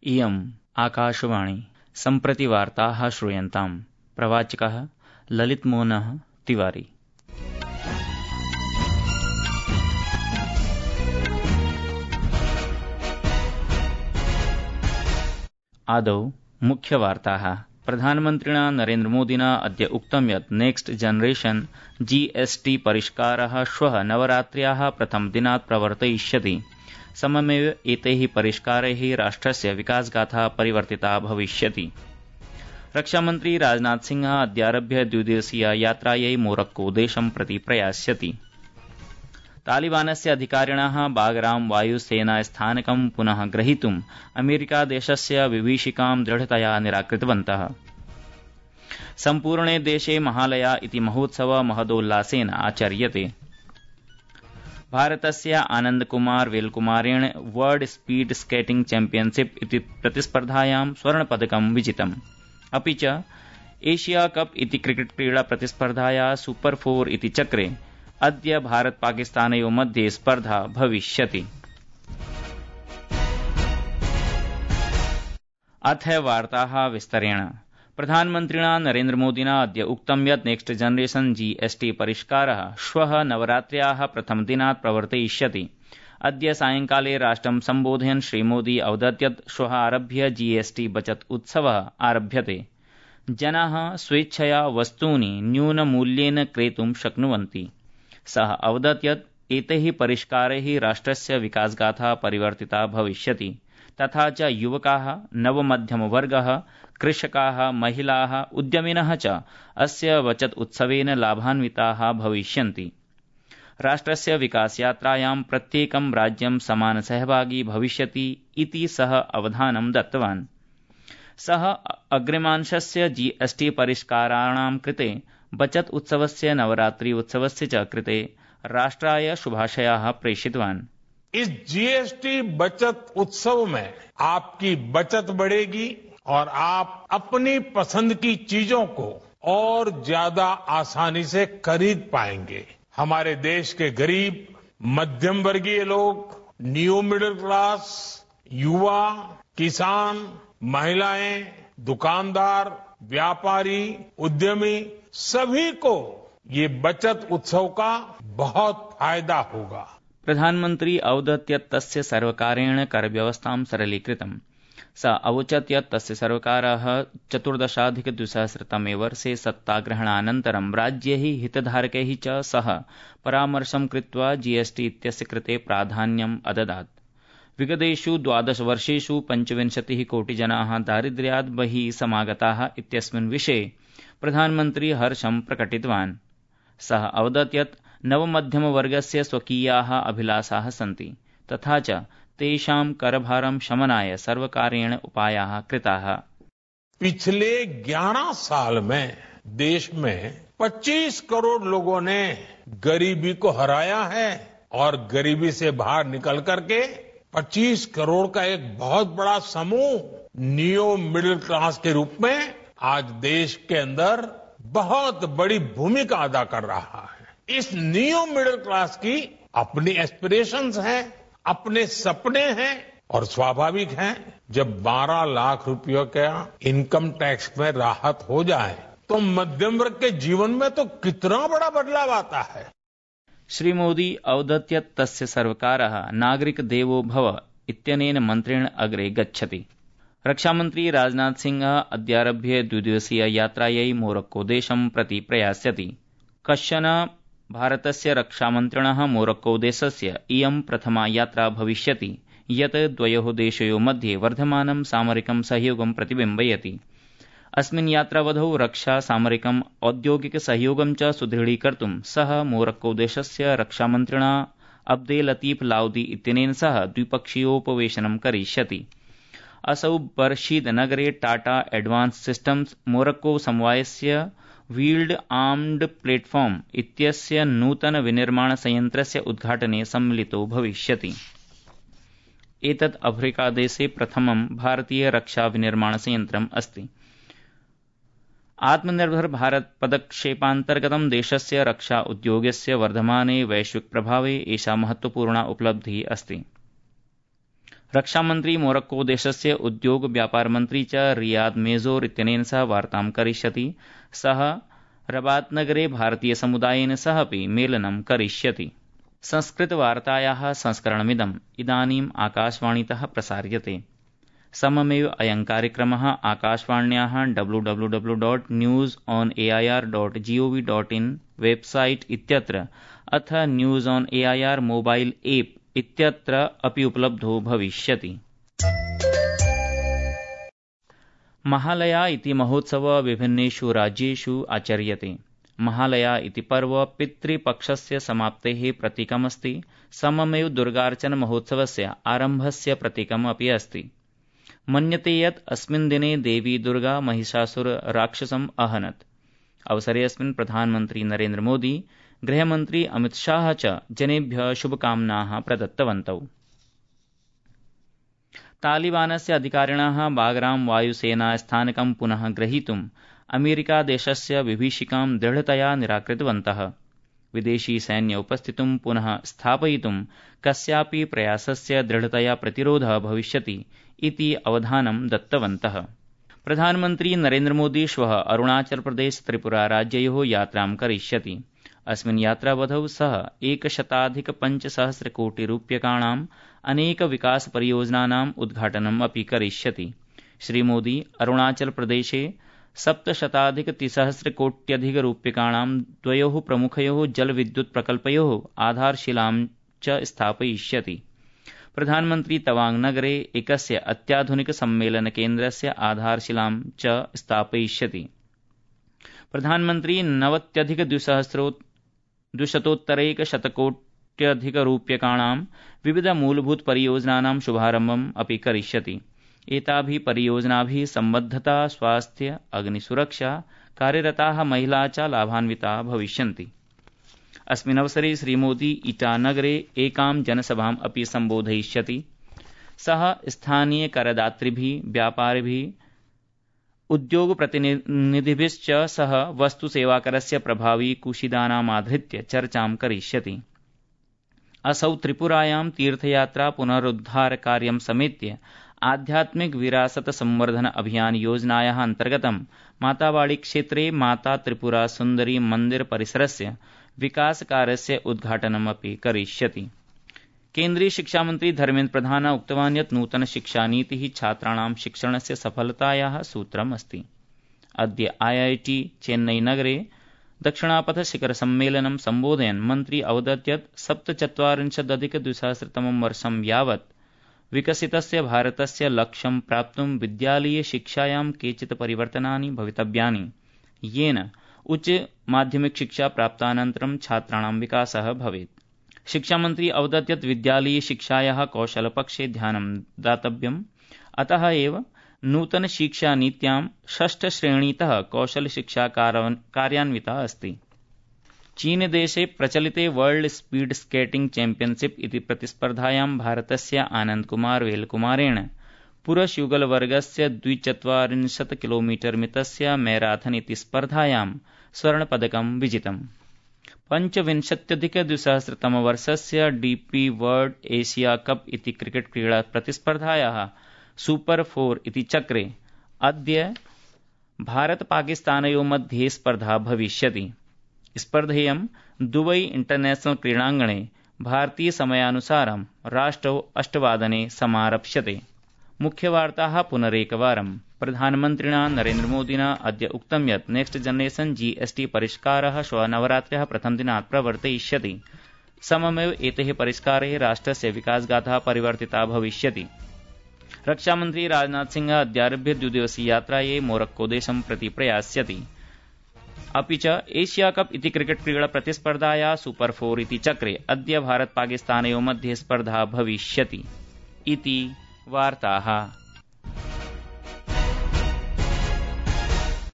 इयम् आकाशवाणी सम्प्रति वार्ताः श्रूयन्ताम्। प्रवाचकः ललितमोहनः तिवारी। आदौ मुख्यवार्ताः। प्रधानमन्त्रिणा नरेन्द्रमोदिना अद्य उक्तं यत् नेक्स्ट जनरेशन GST परिष्कारः श्वः नवरात्र्याः प्रथमदिनात् प्रवर्तयिष्यति। सममेव एतैः परिष्कारैः राष्ट्रस्य विकासगाथा परिवर्तिता भविष्यति। रक्षामन्त्री राजनाथ सिंह अद्यारभ्य द्विदिवसीय यात्रायै मोरक्को देशं प्रति प्रयास्यति। तालिबानस्य अधिकारिणः बागराम वायुसेनास्थानकं पुनः ग्रहीतुम् अमेरिकादेशस्य विभीषिकां दृढतया निराकृतवन्तः। सम्पूर्णे देशे महालया इति महोत्सव महदोल्लासेन आचर्यते। भारतस्य आनन्दकुमार वेलकुमारेण वर्ल्ड स्पीड स्केटिंग चैम्पियनशिप इति प्रतिस्पर्धायां स्वर्णपदकं विजितम्। अपि च एशिया कप इति क्रिकेट क्रीडा प्रतिस्पर्धाया सुपर 4 इति चक्रे अद्य भारत पाकिस्तानयोः मध्ये स्पर्धा भविष्यति। अथ वार्ताः विस्तरेण। प्रधानमन्त्रिणा नरेन्द्रमोदिना अद्य उक्तं यत् नेक्स्ट जनरेशन GST परिष्कारः श्वः नवरात्र्याः प्रथमदिनात् प्रवर्तयिष्यति। अद्य सायंकाले राष्ट्रं सम्बोधयन् श्रीमोदी अवदत् यत् श्वः आरभ्य GST बचत उत्सवः आरभ्यते। जनाः स्वेच्छया वस्तूनि न्यूनमूल्येन क्रेतुं शक्नुवन्ति। सः अवदत् यत् एतैः परिष्कारैः राष्ट्रस्य विकासगाथा परिवर्तिता भविष्यति। तथा च युवकाः, नवमध्यमवर्गः, कृषकाः, महिलाः, उद्यमिनः च अस्य बचत उत्सवेन लाभान्विताः भविष्यन्ति। राष्ट्रस्य विकासयात्रायां प्रत्येकं राज्यं समानसहभागी भविष्यति इति सः अवधानं दत्तवान्। सः अग्रिमांशस्य GST परिष्काराणां कृते, बचत उत्सवस्य, नवरात्रि उत्सवस्य च कृते राष्ट्राय शुभाशयाः प्रेषितवान्। इस GST बचत उत्सव में आपकी बचत बढ़ेगी और आप अपनी पसंद की चीजों को और ज्यादा आसानी से खरीद पाएंगे। हमारे देश के गरीब, मध्यम वर्गीय लोग, न्यू मिडिल क्लास, युवा, किसान, महिलाएं, दुकानदार, व्यापारी, उद्यमी, सभी को ये बचत उत्सव का बहुत फायदा होगा। प्रधानमन्त्री अवदत् यत् तस्य सर्वकारेण करव्यवस्थां सरलीकृतम्। स अवोचत् यत् तस्य सर्वकारः 14,2000 वर्षे सत्ताग्रहणानन्तरं राज्यैः हितधारकैः च सह परामर्शं कृत्वा GST इत्यस्य कृते प्राधान्यम् अददात्। विगतेषु 12 वर्षेषु 25 कोटिजनाः दारिद्र्यात् बहिः समागताः इत्यस्मिन् विषये प्रधानमन्त्री हर्षं प्रकटितवान्। सः अवदत् यत् नवमध्यमवर्गस्य स्वकीयाः अभिलाषाः सन्ति, तथा च तेषां करभारं शमनाय सर्वकारेण उपायाः कृताः। पिछले 11 साल में देश में 25 करोड़ लोगों ने गरीबी को हराया है और गरीबी से बाहर निकल करके 25 करोड़ का एक बहुत बड़ा समूह न्यू मिडिल क्लास के रूप में आज देश के अंदर बहुत बड़ी भूमिका अदा कर रहा है। इस न्यू मिडिल क्लास की अपनी एस्पिरेशंस हैं, अपने सपने हैं और स्वाभाविक है जब 12 लाख रुपयों का इनकम टैक्स में राहत हो जाए तो मध्यम वर्ग के जीवन में तो कितना बड़ा बदलाव आता है। श्री मोदी अवदत् यत् तस्य सर्वकारः नागरिक देवो भव इत्यनेन मन्त्रेण अग्रे गच्छति। रक्षामन्त्री राजनाथ सिंह अद्यारभ्य द्विदिवसीय यात्रायै मोरक्को देशं प्रति प्रयास्यति। कश्चन भारतस्य रक्षामन्त्रिणः मोरक्को देशस्य इयं प्रथमा यात्रा भविष्यति यत् द्वयोः देशयोः मध्ये वर्धमानं सामरिकं सहयोगं प्रतिबिम्बयति। अस्मिन् यात्रावधौ रक्षा, सामरिकम्, औद्योगिक सहयोगं च सुदृढीकर्तुं सः मोरक्को देशस्य रक्षामन्त्रिणा अब्देल लतीफ लाउदी इत्यनेन सह द्विपक्षीयोपवेशनं करिष्यति। असौ बर्शीद नगरे टाटा एडवांस सिस्टम्स मोरक्को समवायस्य व्हील्ड आर्म्ड प्लेटफॉर्म इत्यस्य नूतन विनिर्माण संयन्त्रस्य उद्घाटने सम्मिलितो भविष्यति। एतत् अफ्रीकादेशे प्रथमं भारतीय रक्षा विनिर्माण संयन्त्रम् अस्ति। आत्मनिर्भर भारत पदक्षेपान्तर्गतं देशस्य रक्षा उद्योगस्य वर्धमाने वैश्विक प्रभावे एषा महत्वपूर्णा उपलब्धिः अस्ति। रक्षामन्त्री मोरक्को देशस्य उद्योग व्यापार मन्त्री च रियाद मेजोर इत्यनेन सह वार्तां करिष्यति। सः रबात नगरे भारतीय समुदायेन सह अपि मेलनं करिष्यति। संस्कृतवार्तायाः संस्करणमिदम् इदानीम् आकाशवाणीतः प्रसार्यते। सममेव अयं कार्यक्रमः आकाशवाण्याः www.newsonair.gov.in वेबसाइट इत्यत्र अथ news on AIR mobile app इत्यत्र अपि उपलब्धो भविष्यति। महालया इति महोत्सव विभिन्नेषु राज्येषु आचर्यते। महालया इति पर्व पितृपक्षस्य समाप्तेः प्रतीकमस्ति। सममेव दुर्गार्चन महोत्सवस्य आरम्भस्य प्रतीकम् अपि अस्ति। मन्यते यत् अस्मिन् दिने देवी दुर्गा महिषासुर राक्षसम् अहनत्। अवसरेऽस्मिन् प्रधानमन्त्री नरेन्द्र मोदी, गृहमन्त्री अमित शाह च जनेभ्यः शुभकामनाः प्रदत्तवन्तौ। तालिबानस्य अधिकारिणः बागराम वायुसेनास्थानकं पुनः ग्रहीतुम् अमेरिकादेशस्य विभीषिकां दृढतया निराकृतवन्तः। विदेशी सैन्य उपस्थितिं पुनः स्थापयितुं कस्यापि प्रयासस्य दृढतया प्रतिरोधः भविष्यति इति अवधानं दत्तवन्तः। प्रधानमन्त्री नरेन्द्र मोदी श्वः अरुणाचल प्रदेश त्रिपुरा राज्ययोः यात्रां करिष्यति। अस्मिन् यात्रावधौ सः 100,500 कोटिरूप्यकाणाम् अनेक विकास परियोजनानाम् उद्घाटनम् अपि करिष्यति। श्रीमोदी अरुणाचल प्रदेशे 700,300 कोट्यधिकरूप्यकाणां द्वयोः प्रमुखयोः जलविद्युत् प्रकल्पयोः आधारशिलां च स्थापयिष्यति। प्रधानमन्त्री तवांग नगरे एकस्य अत्याधुनिक सम्मेलन केन्द्रस्य आधारशिलां च स्थापयिष्यति। प्रधानमन्त्री 90,200,100,000,000 विविध मूलभूत परियोजनानां शुभारम्भम् अपि करिष्यति। एताभिः परियोजनाभिः सम्बद्धता, स्वास्थ्य, अग्निसुरक्षा कार्यरताः महिला च लाभान्विताः भविष्यन्ति। अस्मिन् अवसरे श्रीमोदी ईटानगरे एकां जनसभाम् अपि सम्बोधयिष्यति। सः स्थानीय करदातृभिः, व्यापारिभिः, उद्योगप्रतिनिधिभिश्च सह वस्तुसेवाकरस्य प्रभावी कुशीदानामाधृत्य चर्चां करिष्यति। असौ त्रिपुरायां तीर्थयात्रा पुनरुद्धार कार्यं समेत्य आध्यात्मिक विरासत संवर्धन अभियान योजनायाः अन्तर्गतं मातावाड़ी क्षेत्रे माता त्रिपुरा सुन्दरी मन्दिर परिसरस्य विकासकार्यस्य उद्घाटनमपि करिष्यति। केन्द्रीय शिक्षामन्त्री धर्मेन्द्र प्रधान उक्तवान् यत् नूतन शिक्षानीतिः छात्राणां शिक्षणस्य सफलतायाः सूत्रमस्ति। अद्य IIT चेन्नई नगरे दक्षिणापथ शिखर सम्मेलनं सम्बोधयन् मन्त्री अवदत् यत् 47,200 वर्षं यावत् विकसितस्य भारतस्य लक्ष्यं प्राप्तुं विद्यालयीय शिक्षायां केचित् परिवर्तनानि भवितव्यानि, येन उच्च माध्यमिक शिक्षा प्राप्तानन्तरं छात्राणां विकासः भवेत्। शिक्षामन्त्री अवदत् यत् विद्यालयीय शिक्षायाः कौशलपक्षे ध्यानं दातव्यम्। अतः एव नूतन शिक्षानीत्यां 6 श्रेणीतः कौशलशिक्षा कार्यान्विता अस्ति। चीनदेशे प्रचलिते वर्ल्ड स्पीड स्केटिंग चैम्पियनशिप इति प्रतिस्पर्धायां भारतस्य आनन्दकुमार वेलकुमारेण पुरुषयुगलवर्गस्य 240 किलोमीटर मितस्य मैराथन इति स्पर्धायां स्वर्णपदकं विजितम्। 25,200 वर्षस्य DP वर्ल्ड एशिया कप इति क्रिकेट क्रीडा प्रतिस्पर्धायाः सुपर 4 इति चक्रे अद्य भारत पाकिस्तानयोः मध्ये स्पर्धा भविष्यति। स्पर्धेयं दुबई इंटरनेशनल क्रीडाङ्गणे भारतीय समयानुसारं रात्रौ 8 वादने समारप्स्यते। मुख्यवार्ताः पुनरेकवारं। प्रधानमन्त्रिणा नरेन्द्र मोदिना अद्य उक्तं यत् नेक्स्ट जनरेशन GST परिष्कारः श्वः नवरात्र्याः प्रथमदिनात् प्रवर्तयिष्यति। सममेव एतैः परिष्कारैः राष्ट्रस्य विकासगाथा परिवर्तिता भविष्यति। रक्षामन्त्री राजनाथ सिंह अद्यारभ्य 2-दिवसीय यात्रायै मोरक्को देशं प्रति प्रयास्यति। अपि च एशिया कप इति क्रिकेट क्रीडा प्रतिस्पर्धायाः सुपर 4 इति चक्रे अद्य भारत पाकिस्तानयोः मध्ये स्पर्धा भविष्यति। इति वार्ताः।